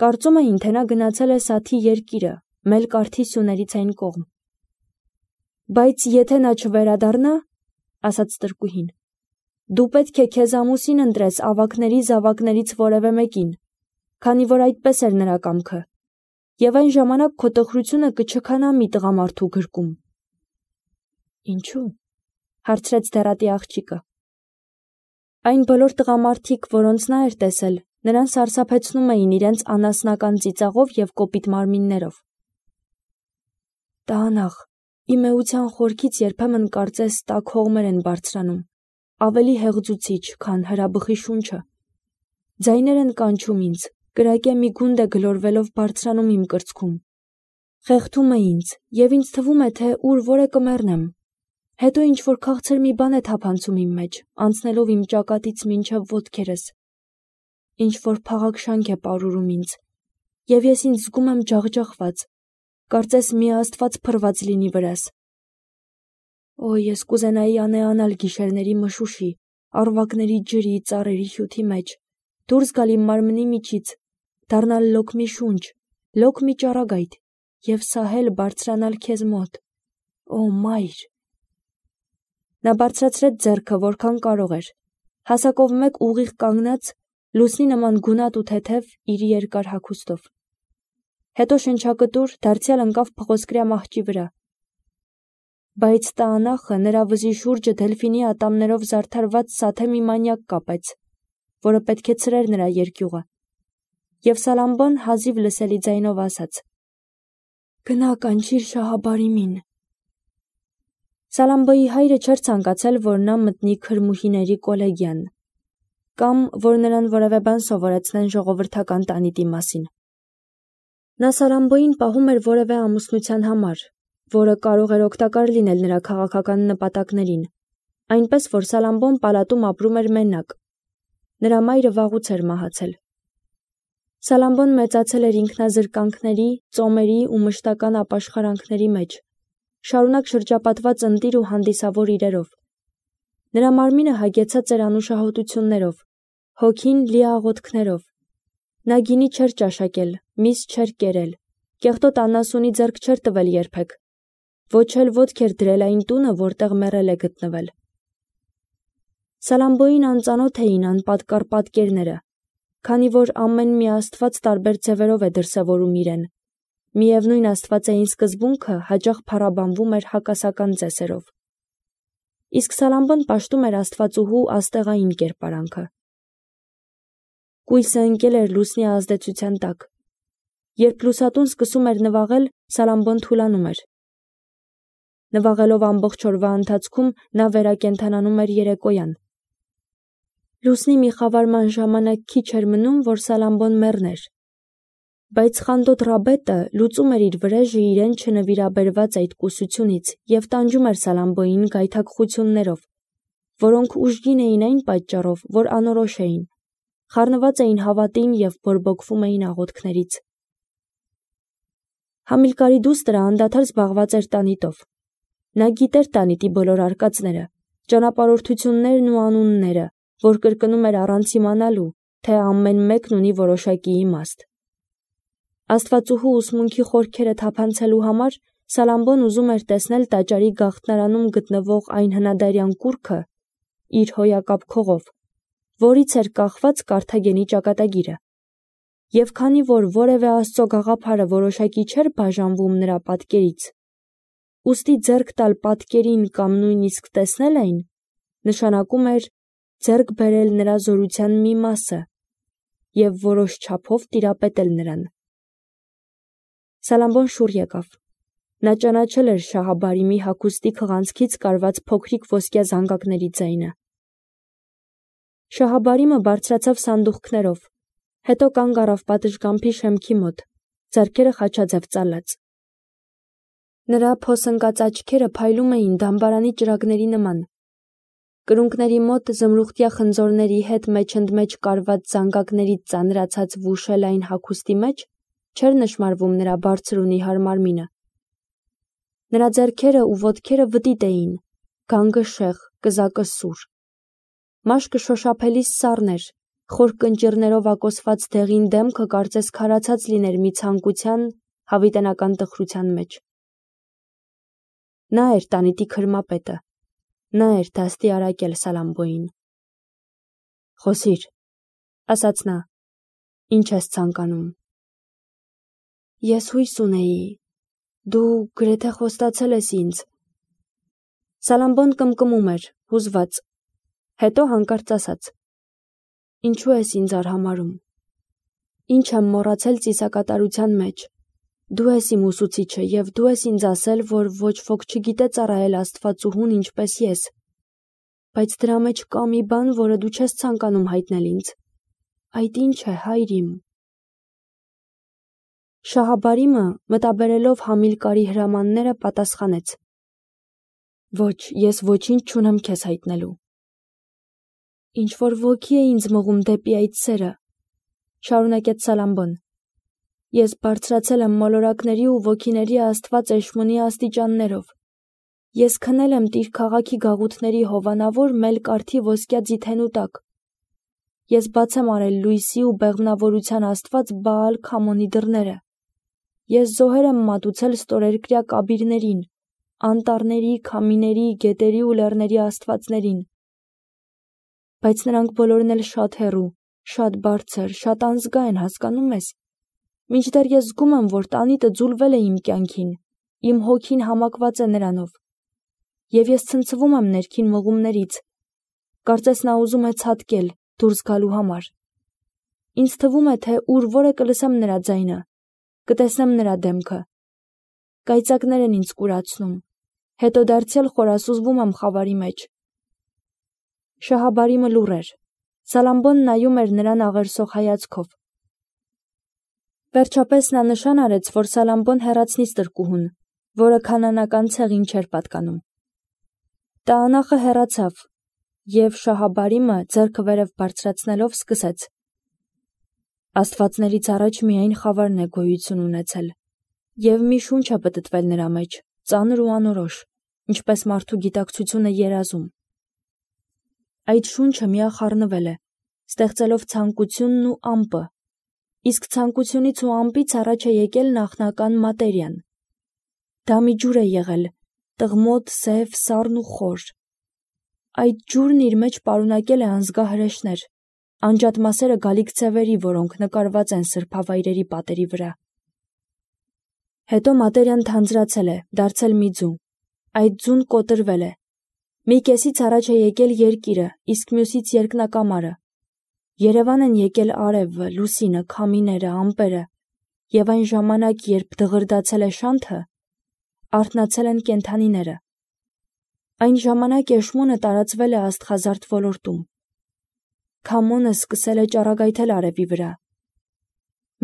Կարծում էին, թե նա գնացել է Սաթի երկիրը, Մելկարթի սյուներից այն կողմ։ Բայց եթե նա չվերադառնա, ասաց տրկուհին, դու պետք է քեզ ամուսին ընտրես ավագների զավակներից որևէ մեկին, քանի որ այդպես էր նրա կամքը, եւ այն ժամանակ քո տխրությունը կչքանա մի տղամարդու գրկում։ Ինչու՞, հարցրեց դեռատի աղջիկը։ Այն բոլոր տղամարդիկ, որոնց նա էր տեսել, նրան սարսափեցնում էին իրենց անասնական ծիծաղով և կոպիտ մարմիններով։ Տանախ, իմ էության խորքից երբեմն կարծես տաք հողմեր են բարձրանում, ավելի հեղձուցիչ, քան հրաբխի շունչը։ Ձայներ են կանչում ինձ, կրակե մի գունդ է գլորվելով բարձրանում իմ կրծքում։ Խեղդում է ինձ, և ինձ թվում է, թե ուր որ է կմեռնեմ։ Հետո ինչ-որ քաղցր մի բան է թափանցում իմ մեջ, անցնելով իմ ճակատից մինչև ոտքերս։ Ինչ-որ փաղակ շանք է պարուրում ինձ, և ես ինձ զգում եմ ջախջախված, կարծես մի աստված փռված լինի վրաս։ Օ, ես կուզենայի անեանալ գիշերների մշուշի, առվակների ջրի, ծառերի հյութի մեջ, դուրս գալ իմ մարմնի միջից, դառնալ լոկ մի շունչ, լոկ մի ճառագայթ, և սահել բարձրանալ քեզ մոտ։ Օ, մայր։ Նա բարձրացրեց ձեռքը, որքան կարող էր, հասակով մեկ ուղիղ կանգնած, լուսնի նման գունատ ու թեթև իր երկար հագուստով։ Հետո շնչակտուր դարձյալ ընկավ փղոսկրյա մահճի վրա։ Բայց տանախը նրա վզի շուրջը դելֆինի ատամներով զարդարված սաթե մի մանյակ կապեց, որը պետք է ցրեր նրա երկյուղը, և Սալամբոն հազիվ լսելի ձայնով ասաց. «Գնա կանչիր Շահաբարիմին»։ Սալամբոյի հայրը չէր ցանկացել, որ նա մտնի քրմուհիների կոլեգիան, կամ որ նրան որևէ բան սովորեցնեն ժողովրդական տանիտի մասին։ Նա Սալամբոյին պահում էր որևէ ամուսնության համար, որը կարող էր օգտակար լինել նրա քաղաքական նպատակներին, այնպես որ Սալամբոն պալատում ապրում էր մենակ։ Նրա մայրը վաղուց էր մահացել։ Սալամբոն մեծացել էր ինքնազրկանքների, ծոմերի ու մշտական ապաշխարանքների մեջ, շարունակ շրջապատված ընտիր ու հանդիսավոր իրերով։ Նրա մարմինը հագեցած էր անուշահոտություններով, հոգին լի աղոթքներով։ Նա գինի չէր ճաշակել, միս չէր կերել, կեղտոտ անասունի ձեռք չէր տվել երբեք, ոչ էլ ոտք էր դրել այն տունը, որտեղ մեռել է գտնվել։ Սալամբոյին անծանոթ էին անպատկառ պատկերները, քանի որ ամեն մի աստված տարբեր ձևերով է դրսևորում իրեն, միևնույն աստվածային սկզբունքը հաճախ փառաբանվում էր հակասական ծեսերով։ Իսկ Սալամբոն պաշտում էր աստվածուհու աստեղային կերպարանքը։ Կույսը ընկել էր լուսնի ազդեցության տակ։ Երբ լուսատուն սկսում էր նվաղել, Սալամբոն թուլանում էր։ Նվաղելով ամբողջ օրվա ընթացքում նա վերակենդանանում էր երեկոյան։ Լուսնի մի խավարման ժամանակ քիչ էր մնում, որ Սալամբոն մեռներ։ Բայց խանդոտ Ռաբետը լուծում էր իր վրեժը իրեն չնվիրաբերված այդ կուսությունից և տանջում էր Սալամբոյին գայթակղություններով, որոնք ուժգին էին այն պատճառով, որ անորոշ էին, խառնված էին հավատին և բորբոքվում էին աղոթքներից։ Համիլկարի դուստրը անդադար զբաղված էր տանիտով։ Նա գիտեր տանիտի բոլոր արկածները, ճանապարհորդություններն ու անունները, որ կրկնում էր առանց իմանալու, թե ամեն մեկն ունի որոշակի իմաստ։ Աստվածուհու ուսմունքի խորքերը թափանցելու համար Սալամբոն ուզում էր տեսնել տաճարի գաղտնարանում գտնվող այն հնադարյան կուռքը իր հոյակապ քողով, որից էր կախված Կարթագենի ճակատագիրը։ Եվ քանի որ որևէ աստծո գաղափարը որոշակի չէր բաժանվում նրա պատկերից, ուստի ձեռք տալ պատկերին կամ նույնիսկ տեսնել այն, նշանակում էր ձեռք բերել նրա զորության մի մասը և որոշ չափով տիրապետել նրան։ Սալամբոն շուռ եկավ։ Նա ճանաչել էր Շահաբարիմի հագուստի քղանցքից կարված փոքրիկ ոսկյա զանգակների ձայնը։ Շահաբարիմը բարձրացավ սանդուղքներով, հետո կանգ առավ պատշգամբի շեմքի մոտ, ձեռքերը խաչաձև ծալած։ Նրա փոսընկած աչքերը փայլում էին դամբարանի ճրագների նման։ Կրունկների մոտ զմրուխտյա խնձորների հետ մեջընդմեջ կարված զանգակներից ծանրացած վուշելային հագուստի մեջ չէր նշմարվում նրա բարձր ու նիհար մարմինը։ Նրա ձեռքերը ու ոտքերը վտիտ էին, գանգը շեղ, կզակը սուր։ Մաշկը շոշափելի սառն էր, Խոր կնճիռներով ակոսված դեղին դեմքը կարծես քարացած լիներ մի ցանկության, հավիտենական տխրության մեջ։ Նա էր տանիքի քրմապետը, նա էր դաստիարակել Սալամբոյին։ «Խոսիր», ասաց նա, «ինչ ես ցանկանում»։ Ես հույս ունեի, դու գրեթե խոստացել ես ինձ։ Սալամբոն կմկմում էր, հուզված, հետո հանկարծ ասաց. «Ինչու ես ինձ արհամարհում։ Ինչ եմ մոռացել ծիսակատարության մեջ։ Դու ես իմ ուսուցիչը և դու ես ինձ ասել, որ ոչ ոք չգիտե ծառայել Աստվածուհուն ինչպես ես։ Բայց դրա մեջ կա մի բան, որը դու չես ցանկանում հայտնել ինձ։ Այդ ինչ է, հայր իմ»։ Շահաբարիմը, մտաբերելով Համիլկարի հրամանները, պատասխանեց. «Ոչ, ես ոչինչ չունեմ քեզ հայտնելու»։ «Ինչ-որ ոգի է ինձ մղում դեպի այդ սերը», շարունակեց Սալամբոն։ «Ես բարձրացել եմ մոլորակների ու ոգիների Աստված Էշմունի աստիճաններով։ Ես քնել եմ Տիր քաղաքի գաղութների հովանավոր մելկարթի ոսկյա ձիթենու տակ։ Ես բաց եմ արել լույսի ու բեղմնավորության Աստված Բաալ Քամոնի դռները։ Ես զոհեր եմ մատուցել ստորերկրյա կաբիրներին, անտառների, քամիների, գետերի ու լեռների աստվածներին։ Բայց նրանք բոլորն էլ շատ հեռու, շատ բարձր, շատ անզգա են, հասկանում ես։ Մինչդեռ ես զգում եմ, որ տանիտը ձուլվել է իմ կյանքին, իմ հոգին համակված է նրանով։ Եվ ես ցնցվում եմ ներքին մղումներից, կարծես նա ուզում է ցատկել, դուրս գալու համար։ Ինձ թվում է, թե ուր որ է կլսեմ նրա ձայնը, կտեսնեմ նրա դեմքը։ Կայծակներ են ինձ կուրացնում, հետո դարձյալ խորասուզվում եմ խավարի մեջ։ Շահաբարիմը լուռ էր։ Սալամբոն նայում էր նրան աղերսող հայացքով։ Վերջապես նա նշան արեց, որ Սալամբոն հեռացնի ստրկուհուն, որը քանանական ցեղին չէր պատկանում։ Տաանախը հեռացավ, և Շահաբարիմը ձեռքը վերև բարձրացնելով սկսեց. Աստվածներից առաջ միայն խավարն է գոյություն ունեցել, և մի շունչ է պտտվել նրա մեջ, ծանր ու անորոշ, ինչպես մարդու գիտակցությունը երազում։ Այդ շունչը միախառնվել է, ստեղծելով ցանկությունն ու ամպը, իսկ ցանկությունից ու ամպից առաջ է եկել նախնական մատերիան։ Դա մի ջուր է եղել, տղմոտ, սև, սառն ու խոր։ Այդ ջուրն իր մեջ պարունակել է անզգա հրեշներ, անջատ մասերը գալիք ցևերի, որոնք նկարված են սրբավայրերի պատերի վրա։ Հետո մատերիան թանձրացել է, դարձել մի ձու։ Այդ ձուն կոտրվել է։ Մի կեսից առաջ է եկել երկիրը, իսկ մյուսից երկնակամարը։ Երևան են եկել արևը, լուսինը, քամիները, ամպերը, և այն ժամանակ, երբ դղրդացել է շանթը, արթնացել են կենդանիները։ Այն ժամանակ Էշմունը տարածվել է աստղազարդ ոլորտում։ Քամոնը սկսել է ճառագայթել արևի վրա։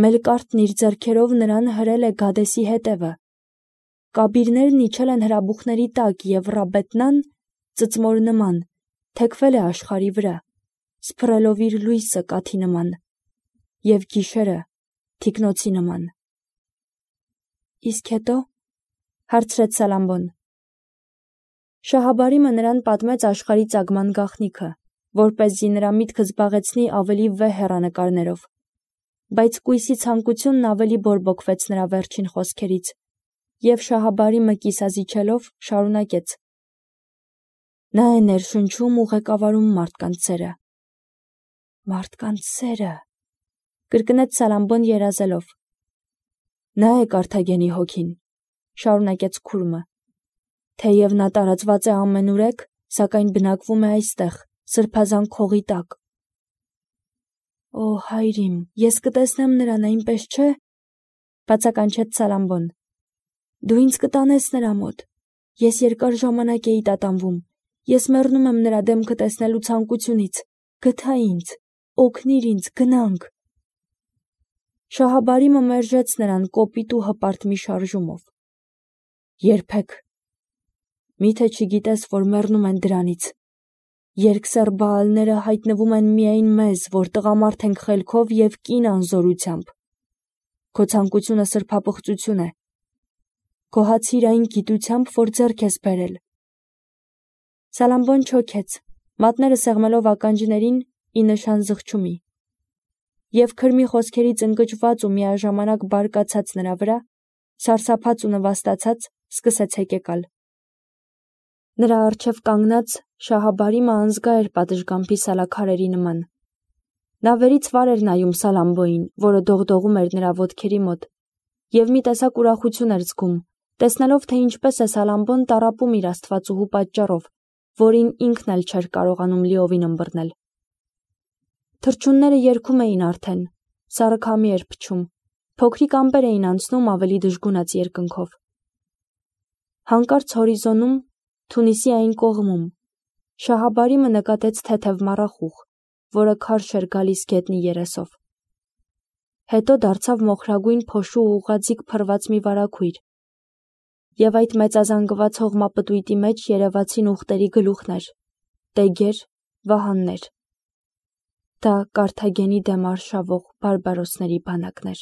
Մելկարթն իր ձեռքերով նրան հրել է Գադեսի հետևը։ Կաբիրներն իջել են հրաբուխների տակ, և Ռաբետնան, ծծմոր նման, թեքվել է աշխարհի վրա, սփռելով իր լույսը կաթի նման, և գիշերը թիկնոցի նման։ Իսկ հետո, հարցրեց Սալամբոն։ Շահաբարիմը նրան պատմեց աշխարհի ծագման գաղտնիքը, որպեսզի նրա միտքը զբաղեցնի ավելի վեհ հեռանկարներով, բայց կույսի ցանկությունն ավելի բորբոքվեց նրա վերջին խոսքերից, և Շահաբարիմը կիսազիջելով շարունակեց. Նա է ներշնչում ու ղեկավարում մարդկանց սերը։ Մարդկանց սերը, կրկնեց Սալամբոն երազելով։ Նա է Կարթագենի հոգին, շարունակեց քուրմը, թեև նա տարածված է ամենուրեք, սակայն բնակվում է այստեղ, սրբազան քողի տակ։ Օ, հայր իմ, ես կտեսնեմ նրան, այնպես չէ՞, բացականչեց Սալամբոն։ Դու ինձ կտանես նրա մոտ։ Ես երկար ժամանակ էի տատանվում։ Ես մեռնում եմ նրա դեմքը տեսնելու ցանկությունից։ Գթա ինձ, օգնիր ինձ, գնանք։ Շահաբարիմը մերժեց նրան կոպիտ ու հպարտ մի շարժումով։ Երբեք։ Միթե չգիտես, որ մեռնում են դրանից։ Երկսեռ Բաալները հայտնվում են միայն մեզ, որ տղամարդ ենք խելքով և կին անզորությամբ։ Քո ցանկությունը սրբապղծություն է։ Գոհացիր այն գիտությամբ, որ ձեռք ես բերել։ Սալամբոն չոքեց, մատները սեղմելով ականջներին ի նշան զղջումի։ և քրմի խոսքերից ընկճված ու միաժամանակ բարկացած նրա վրա, սարսափած ու նվաստացած, սկսեց հեկեկալ։ Նրա առջև կանգնած Շահաբարիմը անզգա էր պատշգամբի սալաքարերի նման։ Նա վերից վար էր նայում Սալամբոյին, որը դողդողում էր նրա ոտքերի մոտ, և մի տեսակ ուրախություն էր զգում, տեսնելով, թե ինչպես է Սալամբոն տառապում իր աստվածուհու պատճառով, որին ինքն էլ չէր կարողանում լիովին ըմբռնել։ Թռչունները երգում էին արդեն, սառը քամի էր փչում, փոքրիկ ամպեր էին անցնում ավելի դժգունած երկնքով։ Հանկարծ հորիզոնում, Թունիսի այն կողմում, Շահաբարիմը նկատեց թեթև մառախուղ, որը քարշ էր գալիս գետնի երեսով։ Հետո դարձավ մոխրագույն փոշու ու ուղղաձիգ փռված մի վարագույր, և այդ մեծազանգված հողմապտույտի մեջ երևացին ուղտերի գլուխներ, տեգեր, վահաններ։ Դա Կարթագենի դեմ արշավող բարբարոսների բանակն էր։